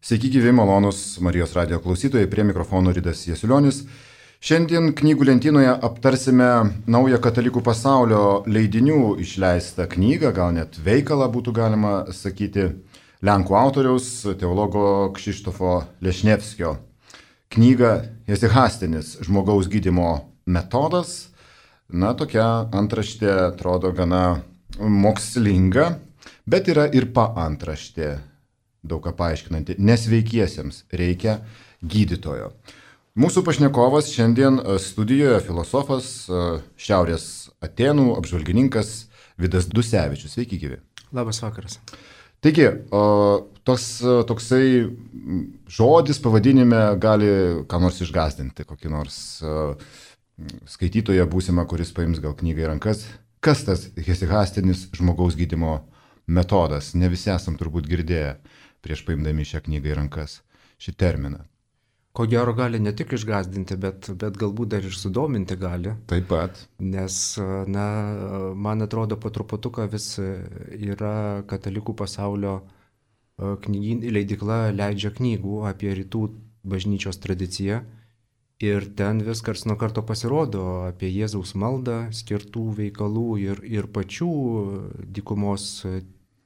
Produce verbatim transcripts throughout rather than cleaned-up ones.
Sveiki gyvi malonus Marijos radijo klausytojai, prie mikrofono Ridas Jasulionis. Šiandien knygų lentynoje aptarsime naują katalikų pasaulio leidinių išleistą knygą, gal net veikalą būtų galima sakyti, lenkų autoriaus, teologo Krzysztofo Lešnevskio. Knyga Jesichastinis žmogaus gydymo metodas. Na, tokia antraštė atrodo gana mokslinga, bet yra ir paantraštė, daug ką paaiškinanti. Nesveikiesiems reikia gydytojo. Mūsų pašnekovas šiandien studijoje filosofas, Šiaurės Atėnų apžvalgininkas Vidas Dusevičius. Sveiki gyvi. Labas vakaras. Taigi, tos, toksai žodis pavadinime gali ką nors išgąsdinti, kokį nors skaitytoją būsimą, kuris paims gal knygą į rankas. Kas tas hesichastinis žmogaus gydymo metodas? Ne visi esam turbūt girdėję prieš paimdami šią knygą į rankas šį terminą. Ko gero gali ne tik išgąsdinti, bet, bet galbūt dar ir sudominti gali. Taip pat. Nes, na, man atrodo, po truputuką vis yra katalikų pasaulio knygyn, leidykla leidžia knygų apie rytų bažnyčios tradiciją. Ir ten vis karts nuo karto pasirodo apie Jėzaus maldą, skirtų veikalų ir, ir pačių dykumos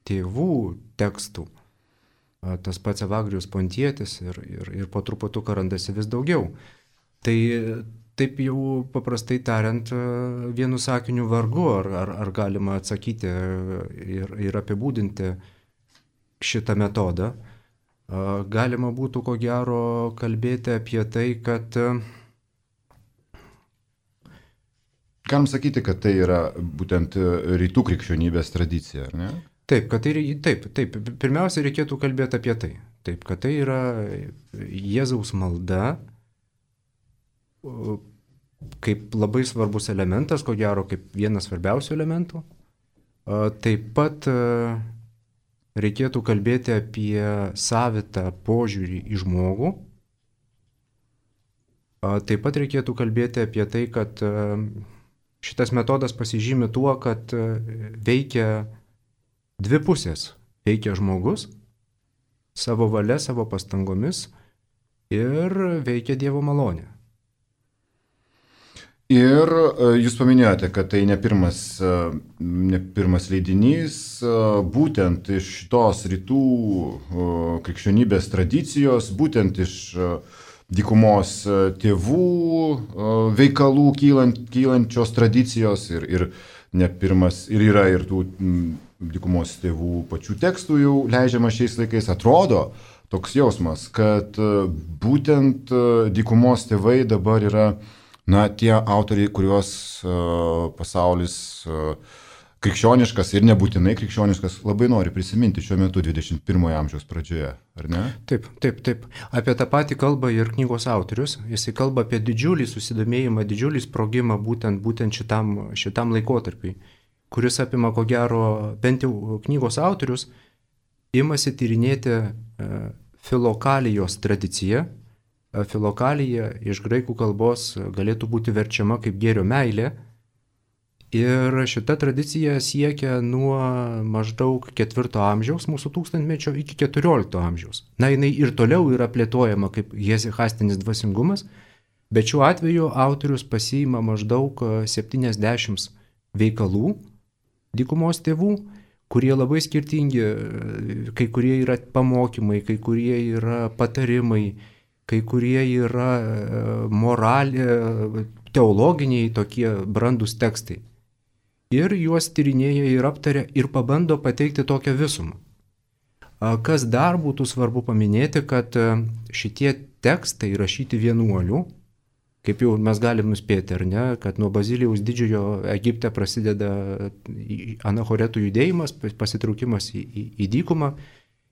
tėvų tekstų. Tas pats Evagrijus Pontietis ir, ir, ir po truputuką randasi vis daugiau. Tai taip jau paprastai tariant, vienu sakiniu vargu, ar, ar, ar galima atsakyti ir, ir apibūdinti šitą metodą. Galima būtų ko gero kalbėti apie tai, kad... Galim sakyti, kad tai yra būtent rytų krikščionybės tradicija, ar ne? Taip, kad tai, taip, taip, pirmiausia reikėtų kalbėti apie tai. Taip, kad tai yra Jėzaus malda, kaip labai svarbus elementas, ko gero kaip vienas svarbiausių elementų. Taip pat reikėtų kalbėti apie savitą požiūrį į žmogų. Taip pat reikėtų kalbėti apie tai, kad šitas metodas pasižymi tuo, kad veikia dvi pusės. Veikia žmogus savo valia, savo pastangomis ir veikia Dievo malonė. Ir jūs paminėjote, kad tai ne pirmas, ne pirmas leidinys, būtent iš tos rytų krikščionybės tradicijos, būtent iš dykumos tėvų veikalų kylant, kylančios tradicijos ir, ir ne pirmas, ir yra ir tų dykumos tėvų pačių tekstų jau leidžiama šiais laikais. Atrodo toks jausmas, kad būtent dykumos tėvai dabar yra, na, tie autoriai, kuriuos uh, pasaulis uh, krikščioniškas ir nebūtinai krikščioniškas labai nori prisiminti šiuo metu dvidešimt pirmojo amžiaus pradžioje, ar ne? Taip, taip, taip. Apie tą patį kalba ir knygos autorius. Jisai kalba apie didžiulį susidomėjimą, didžiulį sprogimą būtent, būtent šitam, šitam laikotarpiui, kuris apima, ko gero, bent jau knygos autorius, imasi tyrinėti uh, filokalijos tradiciją. Filokalija iš graikų kalbos galėtų būti verčiama kaip gėrio meilė. Ir šita tradicija siekia nuo maždaug ketvirto amžiaus mūsų tūkstantmečio iki keturiolikto amžiaus. Na, jinai ir toliau yra plėtojama kaip hesichastinis dvasingumas, bet šiuo atveju autorius pasiima maždaug septyniasdešimt veikalų dykumos tėvų, kurie labai skirtingi, kai kurie yra pamokymai, kai kurie yra patarimai, kai kurie yra moralė, teologiniai tokie brandūs tekstai. Ir juos tyrinėja ir aptaria ir pabando pateikti tokią visumą. Kas dar būtų svarbu paminėti, kad šitie tekstai rašyti vienuolių, kaip jau mes galim nuspėti, ar ne, kad nuo Bazilijaus didžiojo Egipte prasideda anachoretų judėjimas, pasitraukimas į, į, į dykumą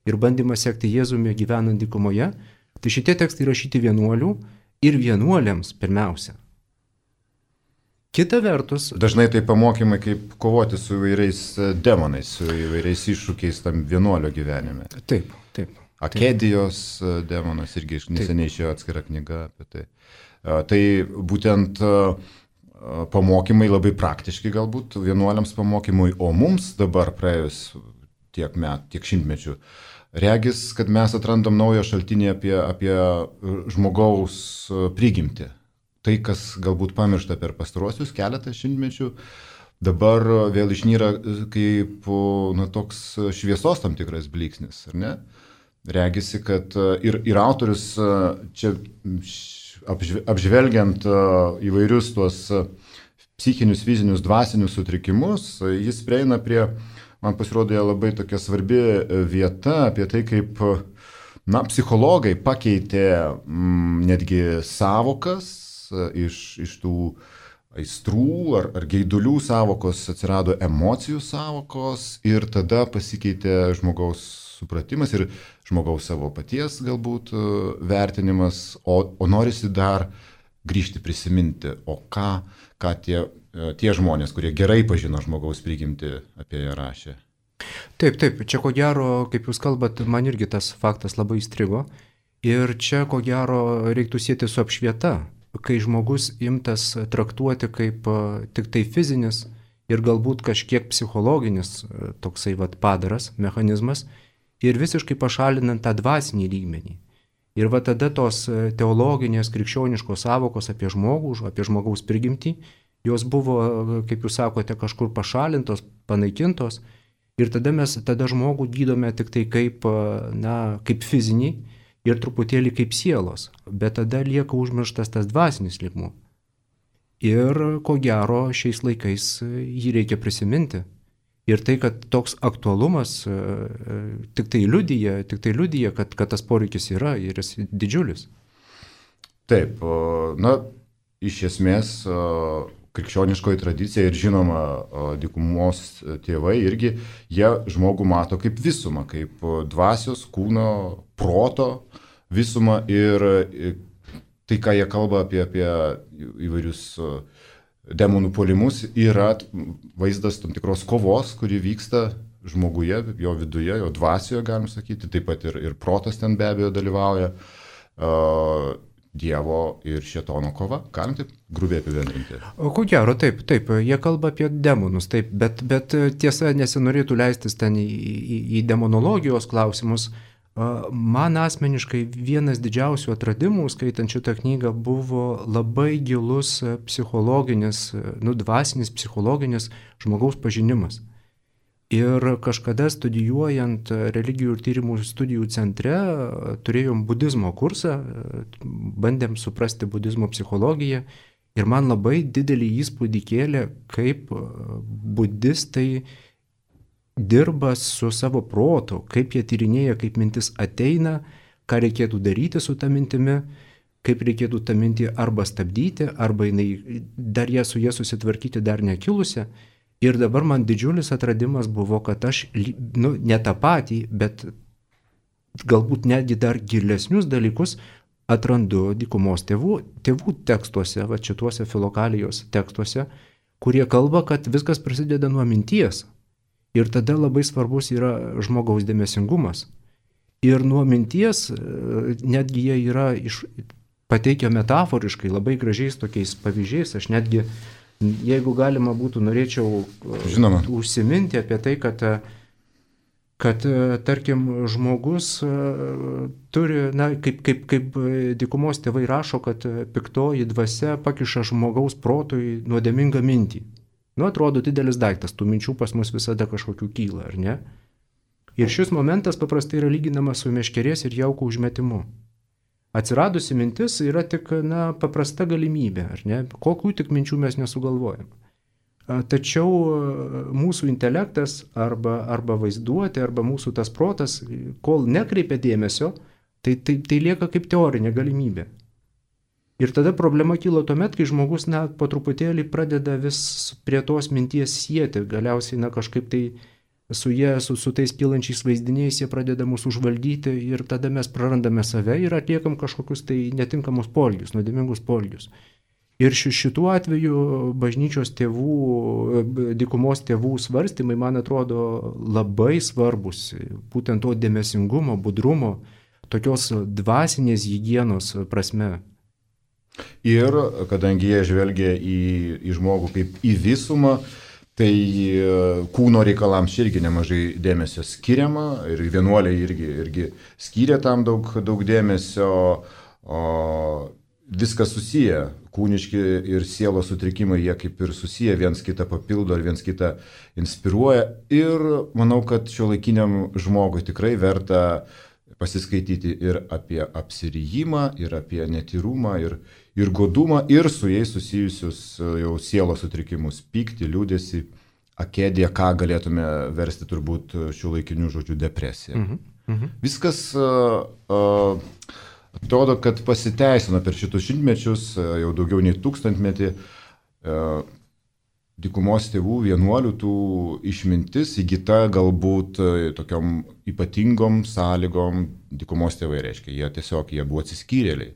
ir bandymas sekti Jėzumi gyvenant dykumoje. Tai šitie tekstai rašyti vienuolių ir vienuoliams pirmiausia. Kita vertus... Dažnai tai pamokymai, kaip kovoti su įvairiais demonais, su įvairiais iššūkiais tam vienuolio gyvenime. Taip, taip. Akedijos taip. Demonas irgi neseniai išėjo atskira knyga apie tai. Tai būtent pamokymai labai praktiški galbūt vienuoliams pamokymui, o mums dabar praėjus tiek metų, tiek šimtmečių, regis, kad mes atrandam naują šaltinį apie, apie žmogaus prigimtį. Tai, kas galbūt pamiršta per pastaruosius keletą šimtmečių, dabar vėl išnyra kaip na, toks šviesos tam tikras blyksnis, ar ne? Regisi, kad ir, ir autorius čia apžvelgiant įvairius tuos psichinius, fizinius, dvasinius sutrikimus, jis prieina prie, man pasirodė labai tokia svarbi vieta apie tai, kaip na, psichologai pakeitė m, netgi savokas iš, iš tų aistrų ar, ar geidulių savokos, atsirado emocijų savokos ir tada pasikeitė žmogaus supratimas ir žmogaus savo paties galbūt vertinimas, o, o norisi dar grįžti prisiminti, o ką, ką tie, tie žmonės, kurie gerai pažino žmogaus prigimtį, apie ją rašė. Taip, taip, čia ko gero, kaip jūs kalbat, man irgi tas faktas labai įstrigo ir čia ko gero reiktų sieti su apšvieta, kai žmogus imtas traktuoti kaip tik tai fizinis ir galbūt kažkiek psichologinis toksai vat padaras, mechanizmas, ir visiškai pašalinant tą dvasinį lygmenį. Ir va tada tos teologinės, krikščioniškos savokos apie žmogų, apie žmogaus prigimtį, jos buvo, kaip jūs sakote, kažkur pašalintos, panaikintos. Ir tada mes tada žmogų gydome tik tai kaip, na, kaip fizinį ir truputėlį kaip sielos. Bet tada lieka užmirštas tas dvasinis lygmuo. Ir ko gero šiais laikais jį reikia prisiminti. Ir tai, kad toks aktualumas tik tai liudija, tik tai liudija kad, kad tas poreikis yra ir jis didžiulis. Taip, na, iš esmės krikščioniškoji tradicija ir žinoma dykumos tėvai irgi, jie žmogų mato kaip visumą, kaip dvasios, kūno, proto visumą ir tai, ką jie kalba apie, apie įvairius demonų puolimus, yra vaizdas tam tikros kovos, kuri vyksta žmoguje, jo viduje, jo dvasioje, galim sakyti, taip pat ir, ir protas ten be abejo dalyvauja, uh, Dievo ir šėtono kova, galim taip grubiai apibendrinti. Ko gero, taip, taip, jie kalba apie demonus, taip, bet, bet tiesa nesinorėtų leistis ten į, į, į demonologijos klausimus. Man asmeniškai vienas didžiausių atradimų, skaitant šitą knygą, buvo labai gilus psichologinis, nu, dvasinis, psichologinis žmogaus pažinimas. Ir kažkada studijuojant religijų ir tyrimų studijų centre, turėjom budizmo kursą, bandėm suprasti budizmo psichologiją ir man labai didelį įspūdį kėlė, kaip budistai dirba su savo protu, kaip jie tyrinėja, kaip mintis ateina, ką reikėtų daryti su ta mintimi, kaip reikėtų tą mintį arba stabdyti, arba jinai, dar ją su jie susitvarkyti dar nekilusią. Ir dabar man didžiulis atradimas buvo, kad aš, nu, ne tą patį, bet galbūt netgi dar gilesnius dalykus atrandu dykumos tėvų, tėvų tekstuose, va šituose filokalijos tekstuose, kurie kalba, kad viskas prasideda nuo minties. Ir tada labai svarbus yra žmogaus dėmesingumas. Ir nuo minties, netgi jie yra iš, pateikę metaforiškai, labai gražiais tokiais pavyzdžiais, aš netgi, jeigu galima būtų, norėčiau Žinoma. užsiminti apie tai, kad, kad tarkim, žmogus turi, na, kaip, kaip, kaip dykumos tėvai rašo, kad piktoji dvasia pakiša žmogaus protui nuodėmingą mintį. Nu, atrodo didelis daiktas, tų minčių pas mus visada kažkokių kyla, ar ne? Ir šis momentas paprastai yra lyginamas su meškerės ir jauko užmetimu. Atsiradusi mintis yra tik, na, paprasta galimybė, ar ne? Kokių tik minčių mes nesugalvojam. Tačiau mūsų intelektas arba, arba vaizduotė, arba mūsų tas protas, kol nekreipia dėmesio, tai, tai, tai lieka kaip teorinė galimybė. Ir tada problema kyla tuomet, kai žmogus, na, po truputėlį pradeda vis prie tos minties sieti, galiausiai, na, kažkaip tai su jie, su, su tais kylančiais vaizdiniais, jie pradeda mūsų užvaldyti ir tada mes prarandame save ir atliekam kažkokius tai netinkamus poelgius, nuodėmingus poelgius. Ir šituo atveju bažnyčios tėvų, dykumos tėvų svarstymai, man atrodo, labai svarbus, būtent to dėmesingumo, budrumo, tokios dvasinės higienos prasme. Ir kadangi jie žvelgia į, į žmogų kaip į visumą, Tai kūno reikalams irgi nemažai dėmesio skiriama ir vienuoliai irgi, irgi skiria tam daug, daug dėmesio, o viskas susiję, kūniški ir sielos sutrikimai, jie kaip ir susiję, viens kitą papildo ir viens kitą inspiruoja ir manau, kad šiuolaikiniam žmogui tikrai verta pasiskaityti ir apie apsirijimą, ir apie netyrumą, ir, ir godumą, ir su jais susijusius jau sielos sutrikimus, pyktį, liūdėsį, akėdiją, ką galėtume versti turbūt šiuolaikiniu žodžiu depresiją. Mhm. Mhm. Viskas uh, uh, atrodo, kad pasiteisino per šitus šimtmečius, uh, jau daugiau nei tūkstantmetį. Uh, Dykumos tėvų vienuolių tų išmintis įgyta galbūt tokiom ypatingom sąlygom. Dykumos tėvai reiškia, jie tiesiog jie buvo atsiskyrėliai.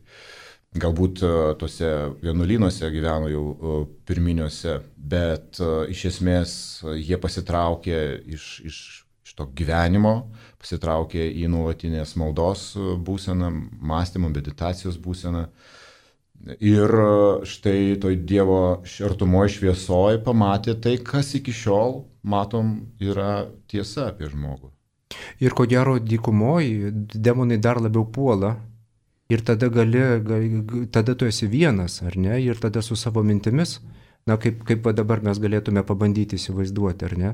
Galbūt tose vienuolynuose gyveno jau pirminiuose, bet iš esmės jie pasitraukė iš, iš, iš to gyvenimo, pasitraukė į nuolatinės maldos būseną, mąstymo, meditacijos būseną. Ir štai toj Dievo artumoje šviesoje pamatė tai, kas iki šiol, matom, yra tiesa apie žmogų. Ir ko gero dykumoje demonai dar labiau puola ir tada, gali, gali, tada tu esi vienas, ar ne? Ir tada su savo mintimis, na kaip, kaip dabar mes galėtume pabandyti įsivaizduoti, ar ne?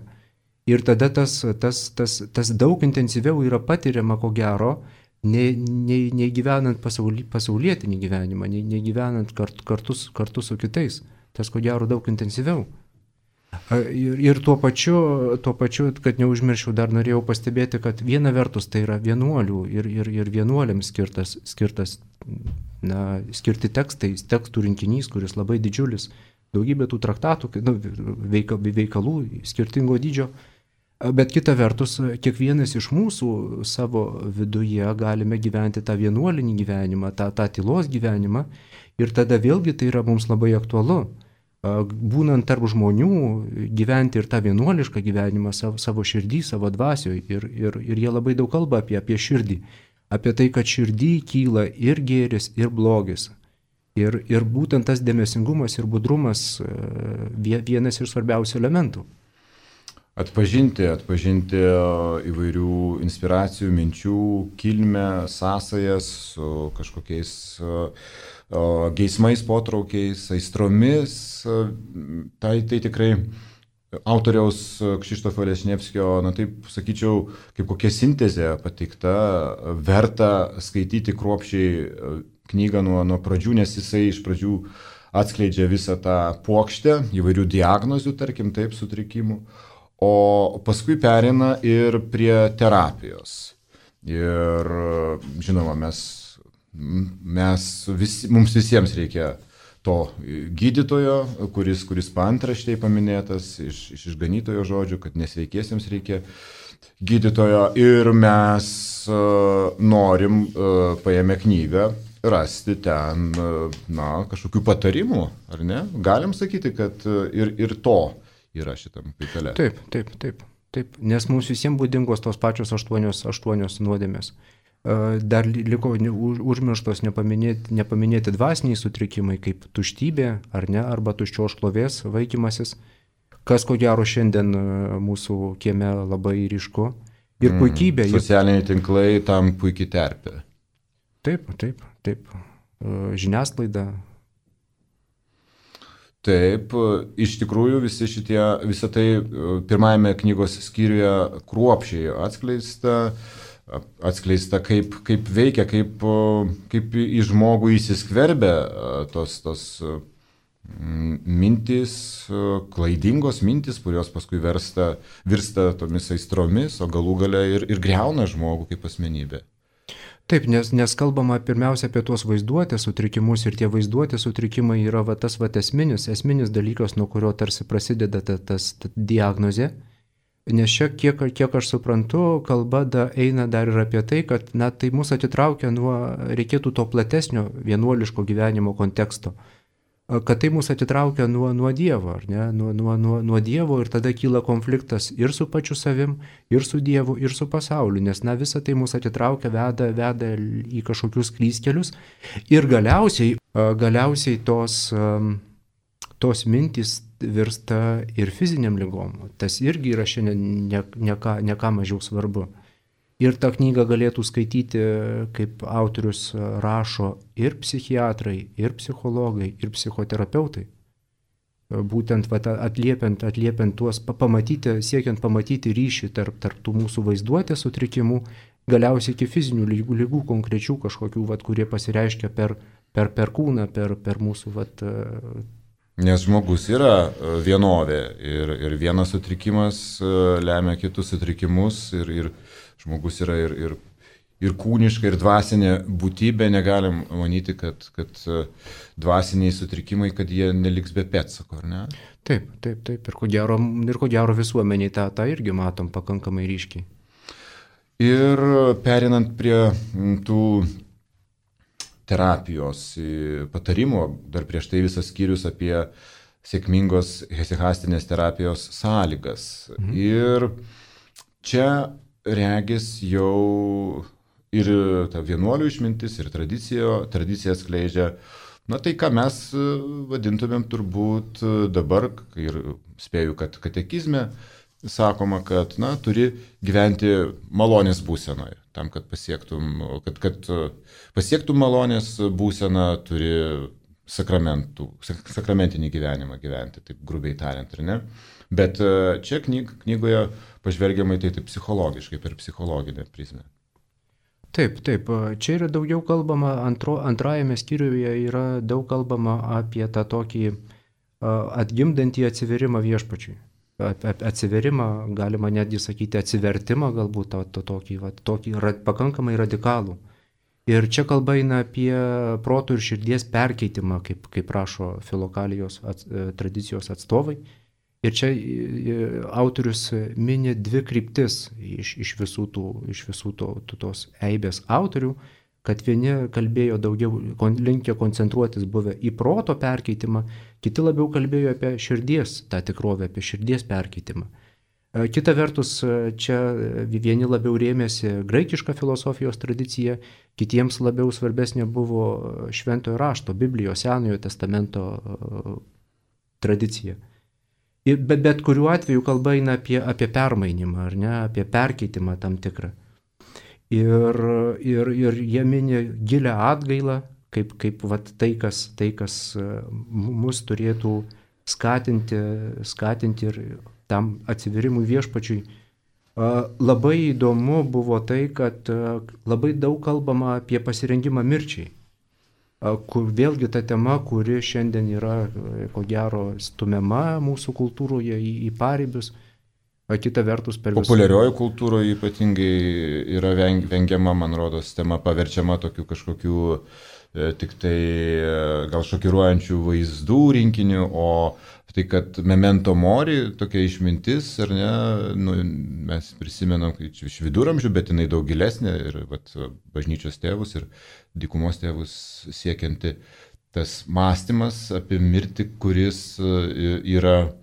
Ir tada tas, tas, tas, tas daug intensyviau yra patiriama, ko gero, Nei, nei, nei gyvenant pasauli, pasaulietinį gyvenimą, nei, nei gyvenant kart, kartu, kartu su kitais. Tas ko gero daug intensyviau. Ir, ir tuo pačiu, tuo pačiu, kad neužmirščiau, dar norėjau pastebėti, kad viena vertus tai yra vienuolių ir, ir, ir vienuoliams skirtas, skirtas, na, skirti tekstai, tekstų rinkinys, kuris labai didžiulis, daugybė tų traktatų, nu, veikalų skirtingo dydžio. Bet kita vertus, kiekvienas iš mūsų savo viduje galime gyventi tą vienuolinį gyvenimą, tą, tą tylos gyvenimą ir tada vėlgi tai yra mums labai aktualu. Būnant tarp žmonių, gyventi ir tą vienuolišką gyvenimą savo, savo širdį, savo dvasioje ir, ir, ir jie labai daug kalba apie, apie širdį, apie tai, kad širdį kyla ir gėris, ir blogis. Ir, ir būtent tas dėmesingumas ir budrumas vienas iš svarbiausių elementų. Atpažinti, atpažinti įvairių inspiracijų, minčių, kilmę, sąsajas su kažkokiais geismais, potraukiais, aistromis. Tai, tai tikrai autoriaus Krzysztofa Leśniewskio, na taip sakyčiau, kaip kokia sintezė pateikta, verta skaityti kruopščiai knygą nuo, nuo pradžių, nes jisai iš pradžių atskleidžia visą tą puokštę įvairių diagnozių, tarkim, taip, sutrikimų. O paskui pereina ir prie terapijos. Ir žinoma, mes, mes visi, mums visiems reikia to gydytojo, kuris, kuris paantraštėje paminėtas iš, iš išganytojo žodžių, kad nesveikiesiems reikia gydytojo. Ir mes uh, norim, uh, paėmę knygą, rasti ten uh, na, kažkokių patarimų, ar ne? Galim sakyti, kad uh, ir, ir to yra šitam veikale. Taip, taip, taip, taip, nes mums visiems būdingos tos pačios aštuonios, aštuonios nuodėmės. Dar liko užmirštos nepaminėti, nepaminėti dvasiniai sutrikimai, kaip tuštybė, ar ne, arba tuščios šlovės vaikymasis, kas ko gero šiandien mūsų kieme labai ryšku. Ir puikybė. Mm, socialiniai tinklai tam puikiai terpė. Taip, taip, taip. Žiniasklaida. Taip, iš tikrųjų visi šitie, visą tai pirmajame knygos skyriuje kruopščiai atskleista, atskleista kaip, kaip veikia, kaip, kaip į žmogų įsiskverbia tos, tos mintys, klaidingos mintys, kurios paskui versta, virsta tomis aistromis, o galų gale ir, ir greuna žmogų kaip asmenybė. Taip, nes, nes kalbama pirmiausia apie tuos vaizduotės sutrikimus ir tie vaizduotės sutrikimai yra va, tas va, esminis, esminis dalykas, nuo kurio tarsi prasideda ta, tas ta diagnozė. Nes čia, kiek, kiek aš suprantu, kalba da, eina dar ir apie tai, kad na, tai mus atitraukia nuo, reikėtų to platesnio vienuoliško gyvenimo konteksto. Kad tai mus atitraukia nuo, nuo Dievo, ar ne? Nuo, nuo, nuo, nuo Dievo ir tada kyla konfliktas ir su pačiu savim, ir su Dievu, ir su pasauliu, nes na, visa tai mus atitraukia, veda, veda į kažkokius klystkelius ir galiausiai, galiausiai tos, tos mintys virsta ir fiziniam lygom. Tas irgi yra šiandien ne, ne, ką, ne ką mažiau svarbu. Ir tą knygą galėtų skaityti, kaip autorius rašo, ir psichiatrai, ir psichologai, ir psichoterapeutai. Būtent vat, atliepiant, atliepiant tuos, pamatyti, siekiant pamatyti ryšį tarp, tarp tų mūsų vaizduotės sutrikimų, galiausiai iki fizinių lygų, lygų konkrečių kažkokių, vat, kurie pasireiškia per, per, per kūną, per, per mūsų... Vat, Nes žmogus yra vienovė ir, ir vienas sutrikimas lemia kitus sutrikimus ir, ir žmogus yra ir, ir, ir kūniška, ir dvasinė būtybė. Negalim manyti, kad, kad dvasiniai sutrikimai, kad jie neliks be pėdsako, ar ne? Taip, taip, taip. Ir ko gero, ir ko gero visuomeniai tą, tą irgi matom pakankamai ryškiai. Ir perinant prie tų terapijos patarimų, dar prieš tai visas skyrius apie sėkmingos hesikastinės terapijos sąlygas. Mhm. Ir čia regis jau ir ta vienuolių išmintis, ir tradicija, tradicija skleidžia, na tai ką mes vadintumėm turbūt dabar, ir spėju, kad katekizme sakoma, kad na, turi gyventi malonės būsenoje. Tam, kad pasiektum, kad, kad pasiektum malonės būseną, turi sakramentų, sakramentinį gyvenimą gyventi, taip grubiai tariant, ar ne? Bet čia knyg, knygoje pažvelgiamai tai taip psichologiškai, per psichologinę prizmę. Taip, taip. Čia yra daugiau kalbama, antro, antrajame skyriuje yra daug kalbama apie tą tokį atgimdantį atsiverimą viešpačiui. Atsiverimą, galima netgi sakyti atsivertimą, galbūt to, to, tokį, va, tokį ra, pakankamai radikalų. Ir čia kalba eina apie proto ir širdies perkeitimą, kaip, kaip rašo filokalijos ats, tradicijos atstovai. Ir čia autorius mini dvi kryptis iš, iš visų, tų, iš visų to, tos eibės autorių, kad vieni kalbėjo daugiau, linkę koncentruotis buvę į proto perkeitimą, kiti labiau kalbėjo apie širdies, tą tikrovę, apie širdies perkeitimą. Kita vertus, čia vieni labiau rėmėsi graikišką filosofijos tradiciją, kitiems labiau svarbesnė buvo šventojo rašto, Biblijos, Senojo testamento tradicija. Bet, bet kuriuo atveju kalba eina apie, apie permainimą, ar ne, apie perkeitimą tam tikrą. Ir, ir, ir jie mini gilę atgailą, kaip, kaip vat, tai, kas, tai, kas mus turėtų skatinti, skatinti ir tam atsiverimui viešpačiui. Labai įdomu buvo tai, kad labai daug kalbama apie pasirengimą mirčiai. Kur vėlgi ta tema, kuri šiandien yra, ko gero, stumiama mūsų kultūroje į, į paribius. Kita vertus per visą... Populiarioji kultūroje ypatingai yra vengiama, man rodos, tema paverčiama tokių kažkokių e, tik tai e, gal šokiruojančių vaizdų rinkinių, o tai, kad memento mori, tokia išmintis, ar ne, nu, mes prisimenam iš viduramžių, bet jinai daug gilesnė ir vat, bažnyčios tėvus ir dykumos tėvus siekianti tas mąstymas apie mirtį, kuris yra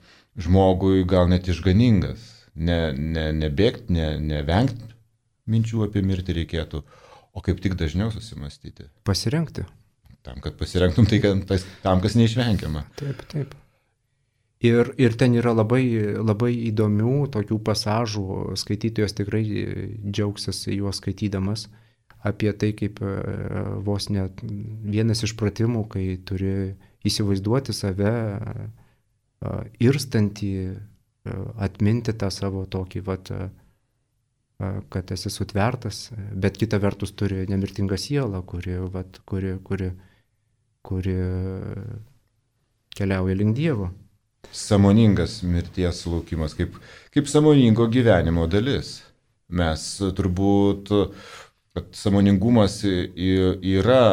žmogui gal net išganingas. Ne, ne, nebėgti, ne, nevengti minčių apie mirtį reikėtų, o kaip tik dažniau susimastyti. Pasirengti. Tam, kad pasirengtum tai, kad, tam, kas neišvengiama. Taip, taip. Ir, ir ten yra labai, labai įdomių tokių pasažų, skaitytojas tikrai džiaugsis juos skaitydamas, apie tai, kaip vos net vienas iš pratimų, kai turi įsivaizduoti save irstantį, atminti tą savo tokį, vat, kad esi sutvertas, bet kita vertus turi nemirtingą sielą, kuri, vat, kuri, kuri, kuri keliauja link Dievo. Sąmoningas mirties laukimas, kaip, kaip sąmoningo gyvenimo dalis. Mes turbūt, kad sąmoningumas yra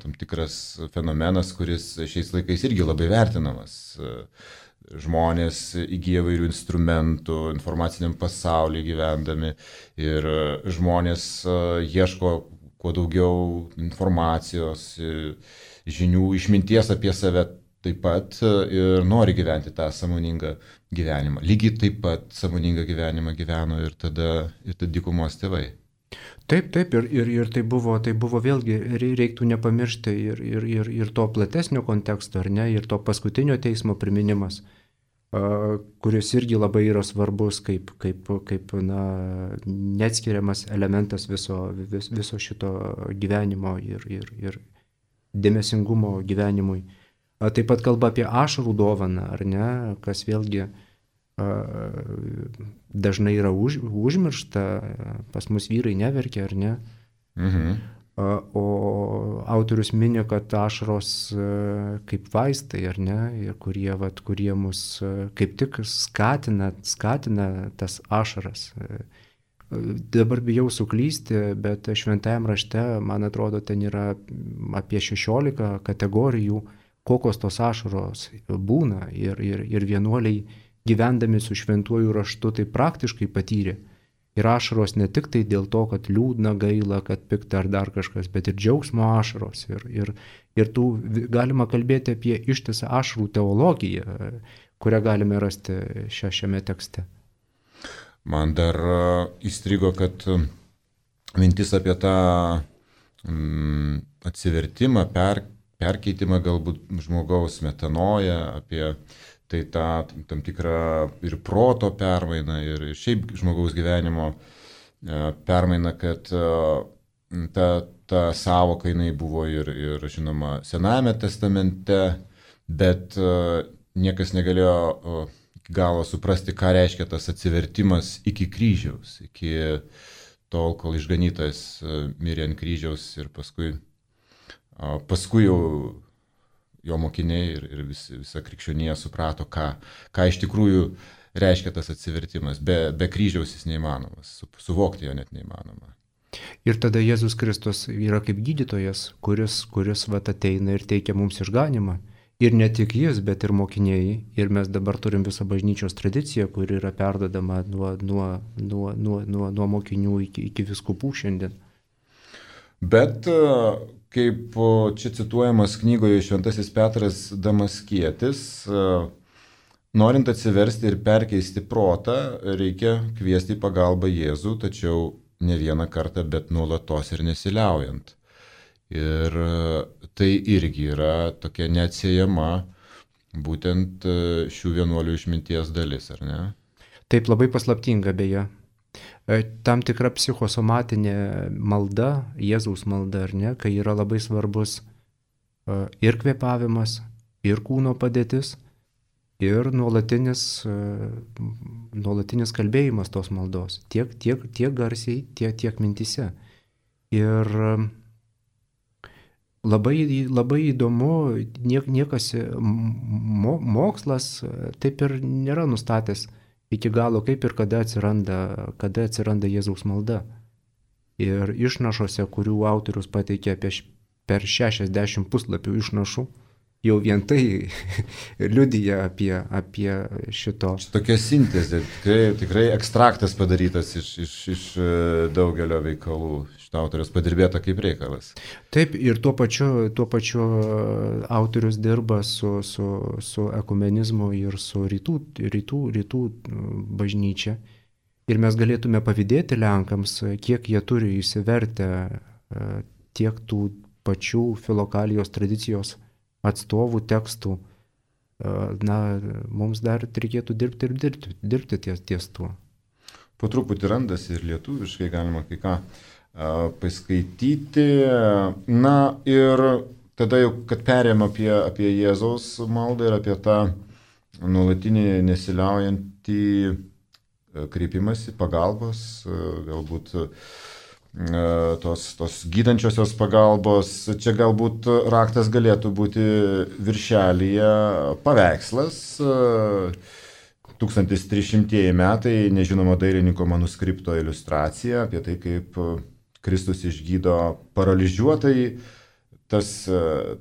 tam tikras fenomenas, kuris šiais laikais irgi labai vertinamas. Žmonės įgyja įvairių instrumentų informaciniam pasaulyje gyvendami ir žmonės ieško kuo daugiau informacijos, žinių, išminties apie save taip pat ir nori gyventi tą sąmoningą gyvenimą. Lygiai taip pat sąmoningą gyvenimą gyveno ir tada ir tada dykumos tėvai. Taip, taip, ir, ir, ir tai, buvo, tai buvo vėlgi, reiktų nepamiršti ir, ir, ir, ir to platesnio konteksto, ar ne, ir to paskutinio teismo priminimas, kuris irgi labai yra svarbus kaip, kaip, kaip na, neatskiriamas elementas viso, vis, viso šito gyvenimo ir, ir, ir dėmesingumo gyvenimui. Taip pat kalba apie ašarų dovaną, ar ne, kas vėlgi dažnai yra už, užmiršta, pas mus vyrai neverkia, ar ne? Mhm. O autorius mini, kad ašaros kaip vaistai, ar ne, ir kurie, vat, kurie mus kaip tik skatina, skatina tas ašaras. Dabar bijau suklysti, bet šventajam rašte, man atrodo, ten yra apie šešiolika kategorijų, kokios tos ašaros būna, ir, ir, ir vienuoliai gyvendami su šventuoju raštu tai praktiškai patyrė. Ir ašaros ne tik tai dėl to, kad liūdna, gaila, kad pikta ar dar kažkas, bet ir džiaugsmo ašaros. Ir, ir, ir tų galima kalbėti apie ištisą ašarų teologiją, kurią galime rasti šia, šiame tekste. Man dar įstrigo, kad mintis apie tą mm, atsivertimą, per, perkeitimą galbūt žmogaus metanoją, apie tai tą tam tikrą ir proto permainą, ir šiaip žmogaus gyvenimo permainą, kad ta, ta sąvoka jinai buvo ir, ir žinoma, Senajame testamente, bet niekas negalėjo galo suprasti, ką reiškia tas atsivertimas iki kryžiaus, iki tol, kol išganytas mirė ant kryžiaus ir paskui, paskui jau jo mokiniai ir, ir vis, visa krikščionija suprato, ką, ką iš tikrųjų reiškia tas atsivertimas. Be, be kryžiaus jis neįmanomas, su, suvokti jo net neįmanoma. Ir tada Jėzus Kristus yra kaip gydytojas, kuris, kuris vat, ateina ir teikia mums išganimą. Ir ne tik jis, bet ir mokiniai. Ir mes dabar turim visą bažnyčios tradiciją, kuri yra perdodama nuo, nuo, nuo, nuo, nuo, nuo mokinių iki, iki vyskupų šiandien. Bet kaip čia cituojamas knygoje Šventasis Petras Damaskietis, norint atsiversti ir perkeisti protą, reikia kviesti į pagalbą Jėzų, tačiau ne vieną kartą, bet nuolatos ir nesiliaujant. Ir tai irgi yra tokia neatsiejama būtent šių vienuolių išminties dalis, ar ne? Taip, labai paslaptinga beje. Tam tikra psichosomatinė malda, Jėzaus malda, ar ne, kai yra labai svarbus ir kvėpavimas, ir kūno padėtis, ir nuolatinis, nuolatinis kalbėjimas tos maldos, tiek, tiek, tiek garsiai, tiek, tiek mintise. Ir labai, labai įdomu, niek, niekas mo, mokslas taip ir nėra nustatęs iki galo, kaip ir kada atsiranda, kada atsiranda Jėzaus malda. Ir išnašose, kurių autorius pateikė apie per šešiasdešimt puslapių išnašų, jau vien tai liudija apie, apie šito. Tokia sintezė, tikrai, tikrai ekstraktas padarytas iš, iš, iš daugelio veikalų. Šitą autorius padirbėta kaip reikalas. Taip, ir tuo pačiu, tuo pačiu autorius dirba su, su, su ekumenizmu ir su rytų, rytų, rytų bažnyčia. Ir mes galėtume pavydėti Lenkams, kiek jie turi įsivertę tiek tų pačių filokalijos tradicijos atstovų tekstų. Na, mums dar reikėtų dirbti ir dirbti, dirbti ties, ties tuo. Po truputį randasi ir lietuviškai galima kai ką paskaityti. Na ir tada jau, kad perėjom apie, apie Jėzaus maldą ir apie tą nuolatinį nesiliaujantį kreipimąsi, pagalbos, galbūt tos, tos gydančiosios pagalbos. Čia galbūt raktas galėtų būti viršelyje paveikslas. tūkstantis trys šimtieji metai, nežinomo dailininko manuskripto iliustracija apie tai, kaip Kristus išgydo paralyžiuotai. Tas,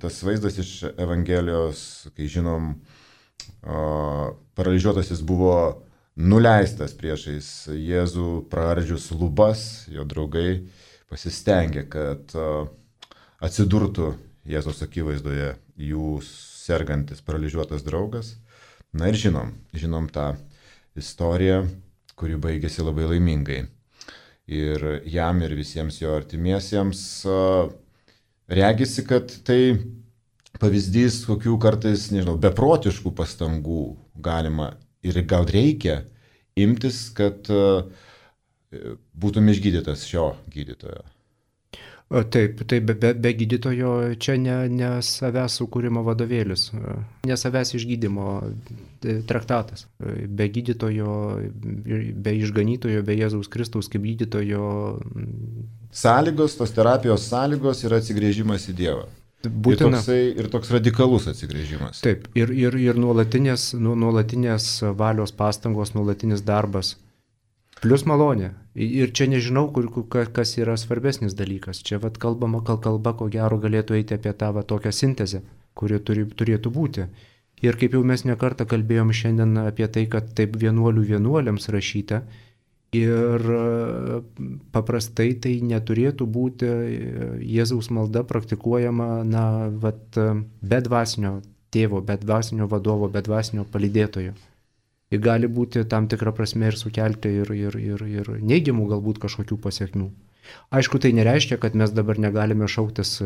tas vaizdas iš Evangelijos, kai žinom, paralyžiuotasis buvo nuleistas priešais Jėzų praardžius lubas, jo draugai pasistengė, kad atsidurtų Jėzaus akivaizdoje jų sergantis paralyžiuotas draugas. Na ir žinom, žinom tą istoriją, kuri baigėsi labai laimingai. ir jam, ir visiems jo artimiesiems. Regisi, kad tai pavyzdys, kokių kartais, nežinau, beprotiškų pastangų galima ir gal reikia imtis, kad būtum išgydytas šio gydytojo. Taip, taip be, be, be gydytojo čia ne, ne savęs sukūrimo vadovėlis, ne savęs išgydymo traktatas. Be gydytojo, be išganytojo, be Jėzaus Kristaus kaip gydytojo. Sąlygos, tos terapijos sąlygos yra atsigrėžimas į Dievą. Būtina. Ir, toksai, ir toks radikalus atsigrėžimas. Taip, ir, ir, ir nuolatinės, nu, nuolatinės valios pastangos, nuolatinis darbas. Plius malonė. Ir čia nežinau, kur, kas yra svarbesnis dalykas. Čia vat kalbama, kal kalba, ko gero galėtų eiti apie tą va, tokią sintezę, kuri turi, turėtų būti. Ir kaip jau mes nekartą kalbėjom šiandien apie tai, kad taip vienuolių vienuoliams rašyta. Ir paprastai tai neturėtų būti Jėzaus malda praktikuojama na, vat, be dvasinio tėvo, be dvasinio vadovo, be dvasinio palydėtojo. Ir gali būti tam tikrą prasme ir sukelti ir, ir, ir, ir neigiamų galbūt kažkokių pasiekmių. Aišku, tai nereiškia, kad mes dabar negalime šauktis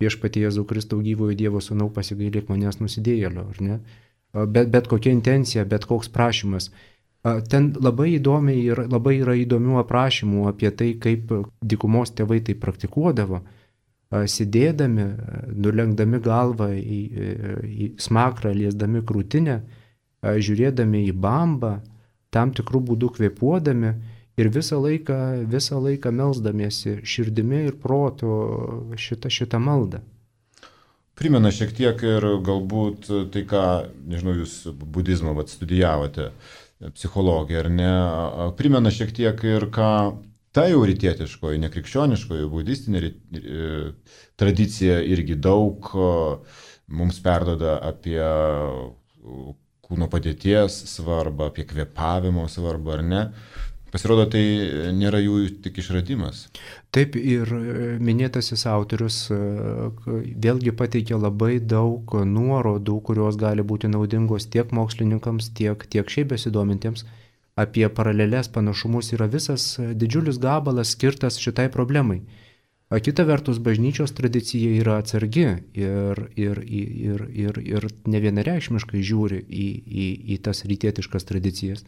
viešpatie Jėzų Kristų gyvojo Dievo sūnau pasigailėk manęs nusidėjėlio, ar ne? Bet, bet kokia intencija, bet koks prašymas. Ten labai įdomiai ir labai yra įdomių aprašymų apie tai, kaip dykumos tėvai tai praktikuodavo, sėdėdami, nulenkdami galvą į, į smakrą, liesdami krūtinę, žiūrėdami į bambą, tam tikrų būdų kvėpuodami ir visą laiką, visą laiką melsdamiesi širdimi ir protu šitą, šitą maldą. Primena šiek tiek ir galbūt tai, ką, nežinau, jūs budizmą vat, studijavote, psichologiją, ar ne, primena šiek tiek ir ką ta jau rytietiškoji, nekrikščioniškoji, budistinė tradicija irgi daug mums perduoda apie kūno padėties svarbą, apie kvėpavimo svarbą, ar ne? Pasirodo, tai nėra jų tik išradimas. Taip, ir minėtasis autorius vėlgi pateikia labai daug nuorodų, kurios gali būti naudingos tiek mokslininkams, tiek, tiek šiaip besidomintiems. Apie paralelės panašumus yra visas didžiulis gabalas skirtas šitai problemai. Kita vertus, bažnyčios tradicija yra atsargi ir, ir, ir, ir, ir nevienareikšmiškai žiūri į, į, į tas rytietiškas tradicijas.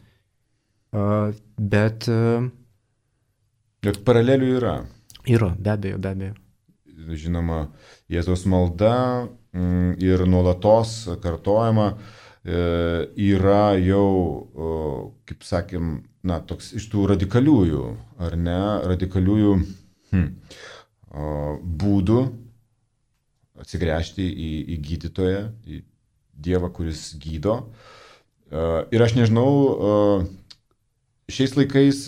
Bet... Bet paralelių yra. Yra, be abejo, be abejo. Žinoma, Jėzaus malda ir nuolatos kartojama yra jau, kaip sakėm, na, toks iš tų radikaliųjų, ar ne, radikaliųjų hm, būdų atsigręžti į, į gydytoją, į Dievą, kuris gydo. Ir aš nežinau, šiais laikais,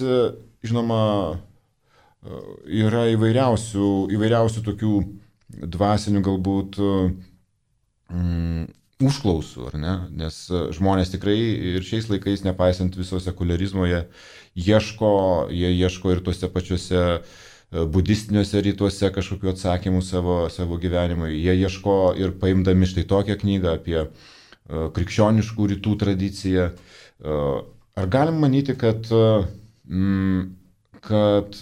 žinoma, yra įvairiausių, įvairiausių tokių dvasinių galbūt mm, užklausų, ar ne? Nes žmonės tikrai ir šiais laikais, nepaisant viso sekularizmo, jie ieško, jie ieško ir tuose pačiuose budistiniuose rytuose kažkokių atsakymų savo, savo gyvenimui. Jie ieško ir paimdami štai tokią knygą apie uh, krikščioniškų rytų tradiciją. Uh, ar galim manyti, kad, mm, kad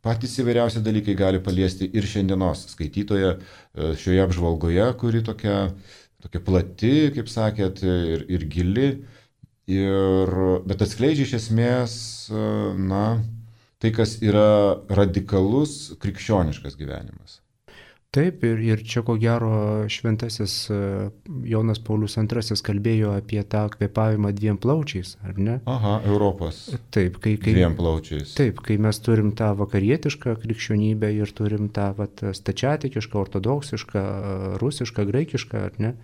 patys įvairiausi dalykai gali paliesti ir šiandienos skaitytoje uh, šioje apžvalgoje, kuri tokia, tokia plati, kaip sakėt, ir, ir gili, ir, bet atskleidžia iš esmės, uh, na, tai, kas yra radikalus krikščioniškas gyvenimas. Taip, ir, ir čia ko gero šventasis Jonas Paulius antrasis kalbėjo apie tą kvėpavimą dviem plaučiais, ar ne? Aha, Europos. Taip, kai, kai, dviem plaučiais. Taip, kai mes turim tą vakarietišką krikščionybę ir turim tą vat, stačiatikišką, ortodoksišką, rusišką, graikišką, ar ne?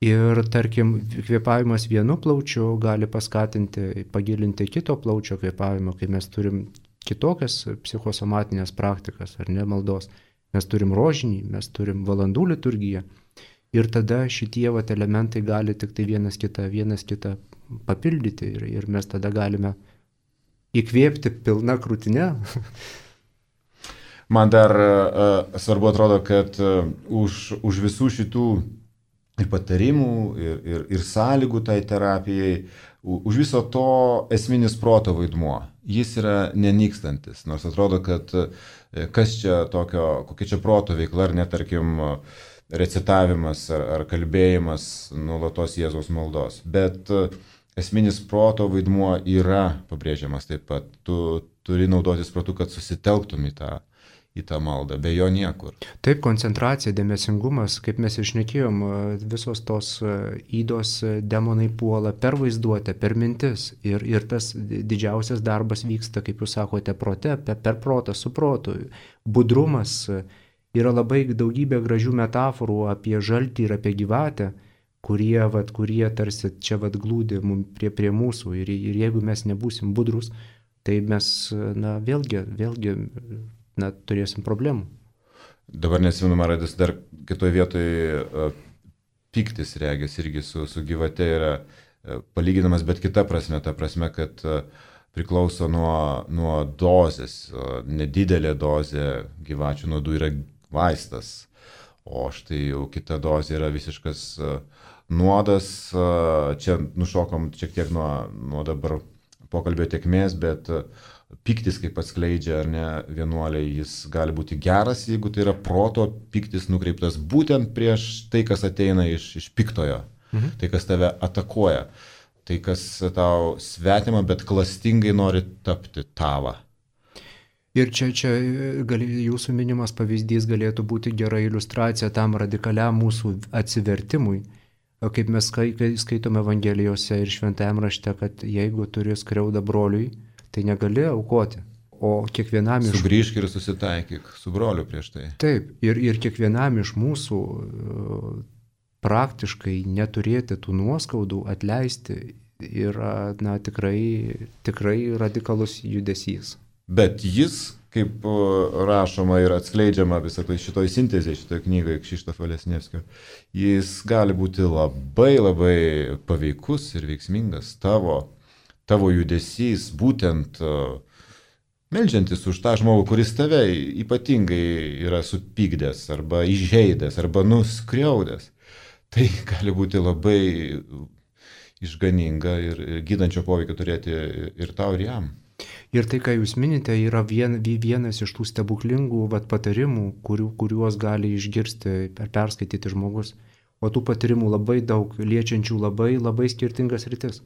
Ir tarkim, kvėpavimas vienu plaučiu gali paskatinti, pagilinti kito plaučio kvėpavimą, kai mes turim kitokias psichosomatinės praktikas, ar ne, maldos. Mes turim rožinį, mes turim valandų liturgiją. Ir tada šitie vat elementai gali tik tai vienas kitą, vienas kitą papildyti. Ir, ir mes tada galime įkvėpti pilna krūtinė. Man dar uh, svarbu atrodo, kad uh, už, už visų šitų ir patarimų, ir, ir, ir sąlygų tai terapijai, už viso to esminis proto vaidmuo jis yra nenykstantis. Nors atrodo, kad kas čia tokio, kokia čia proto veikla, ar netarkim recitavimas, ar, ar kalbėjimas nuolatos Jėzaus maldos. Bet esminis proto vaidmuo yra pabrėžiamas taip pat. Tu turi naudotis protu, kad susitelktum į tą, į tą maldą, be jo niekur. Taip, koncentracija, dėmesingumas, kaip mes išnekėjom, visos tos įdos demonai puola per vaizduotę, per mintis. Ir, ir tas didžiausias darbas vyksta, kaip jūs sakote, prote, per, per protą, su protu. Budrumas, yra labai daugybė gražių metaforų apie žaltį ir apie gyvatę, kurie, vat, kurie tarsi čia vat glūdi prie, prie mūsų. Ir, ir jeigu mes nebūsim budrus, tai mes, na, vėlgi, vėlgi, na, turėsim problemų. Dabar nesimenu, man radis dar kitoje vietoje uh, piktis regis irgi su, su gyvate yra uh, palyginamas, bet kita prasme, ta prasme, kad uh, priklauso nuo, nuo dozės. Uh, nedidelė dozė gyvačių nuodų yra vaistas, o štai jau kita dozė yra visiškas uh, nuodas. Uh, čia nušokom šiek tiek nuo, nuo dabar pokalbio tėkmės, bet piktis, kaip atskleidžia ar ne vienuoliai, jis gali būti geras, jeigu tai yra proto piktis nukreiptas būtent prieš tai, kas ateina iš, iš piktojo, mhm. tai, kas tave atakuoja, tai, kas tau svetima, bet klastingai nori tapti tava. Ir čia, čia gali, jūsų minimas pavyzdys galėtų būti gera iliustracija tam radikaliam mūsų atsivertimui. Kaip mes skaitome Evangelijose ir Šventajame rašte, kad jeigu turi skriaudą broliui, tai negali aukoti. O kiekvienam iš... Sugrįžk ir susitaikyk su broliu prieš tai. Taip, ir, ir kiekvienam iš mūsų praktiškai neturėti tų nuoskaudų, atleisti yra, na, tikrai, tikrai radikalus judesys. Bet jis, kaip rašoma ir atskleidžiama visą tai šitoj sintezėje, šitoj knygoje Kšištofo Lesnievskio, jis gali būti labai labai paveikus ir veiksmingas. Tavo, tavo judesys, būtent meldžiantis už tą žmogų, kuris tave ypatingai yra supykdęs arba įžeidęs arba nuskriaudęs. Tai gali būti labai išganinga ir gydančio poveikio turėti ir tau, ir jam. Ir tai, ką jūs minite, yra vien, vienas iš tų stebuklingų vat, patarimų, kurių, kuriuos gali išgirsti ar perskaityti žmogus. O tų patarimų labai daug, liečiančių labai, labai skirtingas rytis.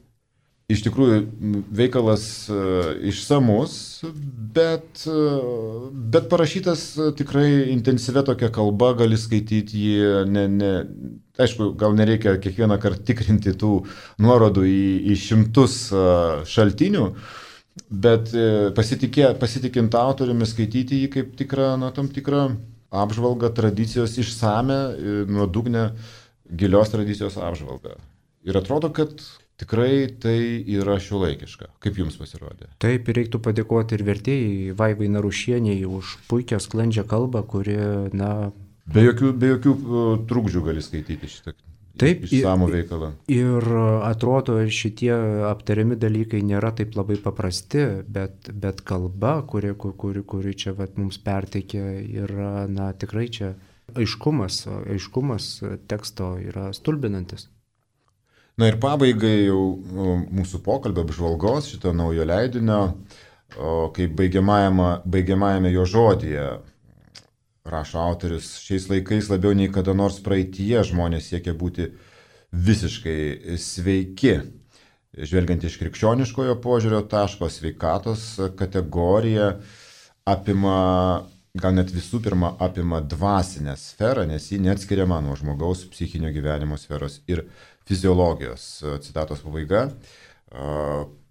Iš tikrųjų, veikalas uh, išsamus, bet, uh, bet parašytas uh, tikrai intensyvia tokia kalba, gali skaityti jį, ne, ne, aišku, gal nereikia kiekvieną kartą tikrinti tų nuorodų į, į šimtus uh, šaltinių, bet pasitikė, pasitikint autoriumi skaityti jį kaip tikrą, na, tam tikrą apžvalgą tradicijos išsame, nuodugnę, gilios tradicijos apžvalgą. Ir atrodo, kad tikrai tai yra šiuolaikiška. Kaip jums pasirodė? Taip, reiktų padėkoti ir vertėjai Vaivai Narušieniai už puikią sklandžią kalbą, kuri, na... Be jokių, be jokių trukdžių gali skaityti šitą. Taip, išsamų veikalą. Ir atrodo, šitie aptariami dalykai nėra taip labai paprasti, bet, bet kalba, kuri, kuri, kuri čia vat, mums perteikė, yra, na, tikrai čia aiškumas, aiškumas teksto yra stulbinantis. Na ir pabaigai jau mūsų pokalbio apžvalgos šito naujo leidinio, kaip baigiamajame, baigiamajame jo žodyje, rašo autorius, šiais laikais labiau nei kada nors praeityje žmonės siekia būti visiškai sveiki. Žvelgiant iš krikščioniškojo požiūrio taško, sveikatos kategorija apima, gal net visų pirma apima dvasinę sferą, nes ji neatskiriama nuo žmogaus psichinio gyvenimo sferos ir fiziologijos. Citatos pabaiga.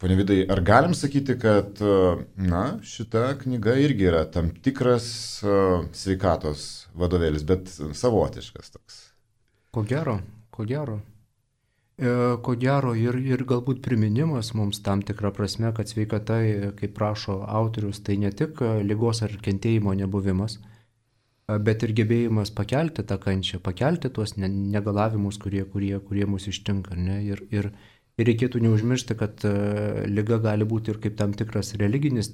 Pone Vidai, ar galim sakyti, kad, na, šita knyga irgi yra tam tikras sveikatos vadovėlis, bet savotiškas toks? Ko gero, ko gero. E, ko gero ir, ir galbūt priminimas mums tam tikrą prasme, kad sveikata, kaip prašo autorius, tai ne tik ligos ar kentėjimo nebuvimas, bet ir gebėjimas pakelti tą kančią, pakelti tuos negalavimus, kurie, kurie, kurie mus ištinka. Ne? Ir, ir Ir reikėtų neužmiršti, kad uh, liga gali būti ir kaip tam tikras religinis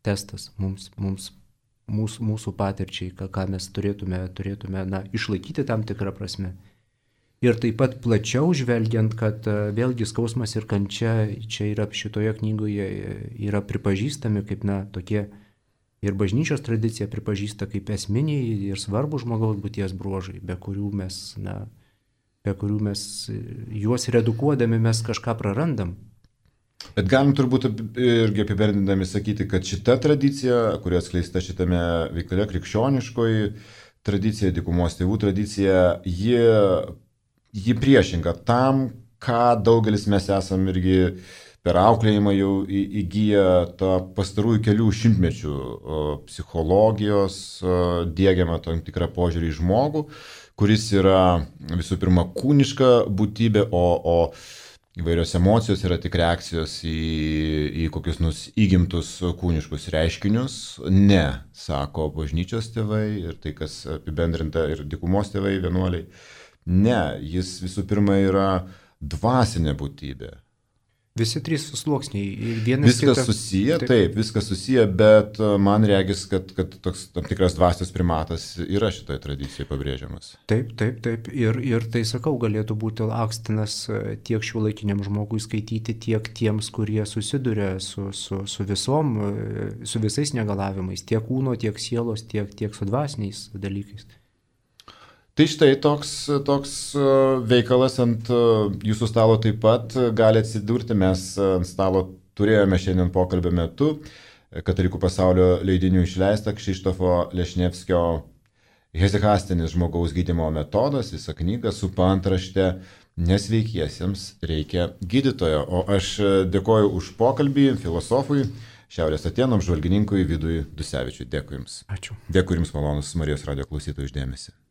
testas mums, mums, mūsų, mūsų patirčiai, ką, ką mes turėtume, turėtume na, išlaikyti tam tikrą prasme. Ir taip pat plačiau žvelgiant, kad vėlgi skausmas ir kančia čia yra šitoje knygoje yra pripažįstami kaip, na, tokie ir bažnyčios tradicija pripažįsta kaip esminiai ir svarbų žmogaus būties bruožai, be kurių mes, na, be kurių mes juos redukuodami mes kažką prarandam. Bet galim turbūt irgi apibendrindami sakyti, kad šita tradicija, kuri atskleista šitame veikale, krikščioniškoji tradicija, dykumos tėvų tradicija, ji, ji priešinga tam, ką daugelis mes esam irgi per auklėjimą jau įgyję tą pastarųjų kelių šimtmečių psichologijos, diegiamą tam tikrą požiūrį į žmogų, kuris yra visų pirma kūniška būtybė, o, o įvairios emocijos yra tik reakcijos į, į kokius nus įgimtus kūniškus reiškinius. Ne, sako bažnyčios tėvai ir tai, kas apibendrinta ir dykumos tėvai, vienuoliai. Ne, jis visų pirma yra dvasinė būtybė. Visi trys sluoksniai. Vienas viskas kita... susiję, taip. taip, viskas susiję, bet man regis, kad, kad toks tam tikras dvasios primatas yra šitoje tradicijoje pabrėžiamas. Taip, taip, taip. Ir, ir tai, sakau, galėtų būti akstinas tiek šiuolaikiniam žmogui skaityti, tiek tiems, kurie susiduria su, su, su visom, su visais negalavimais, tiek kūno, tiek sielos, tiek, tiek su dvasiniais dalykais. Tai štai toks, toks veikalas ant jūsų stalo taip pat gali atsidurti. Mes ant stalo turėjome šiandien pokalbio metu Katalikų pasaulio leidinių išleistą Krzysztofo Lešnevskio Hezikastinis žmogaus gydymo metodas, visą knygą su paantrašte Nesveikiesiems reikia gydytojo. O aš dėkoju už pokalbį filosofui, Šiaurės Atėnų apžvalgininkui Vidui Dusevičiui. Dėkui Jums. Ačiū. Dėkui Jums, malonus Marijos radijo klausytojų, už dėmesį.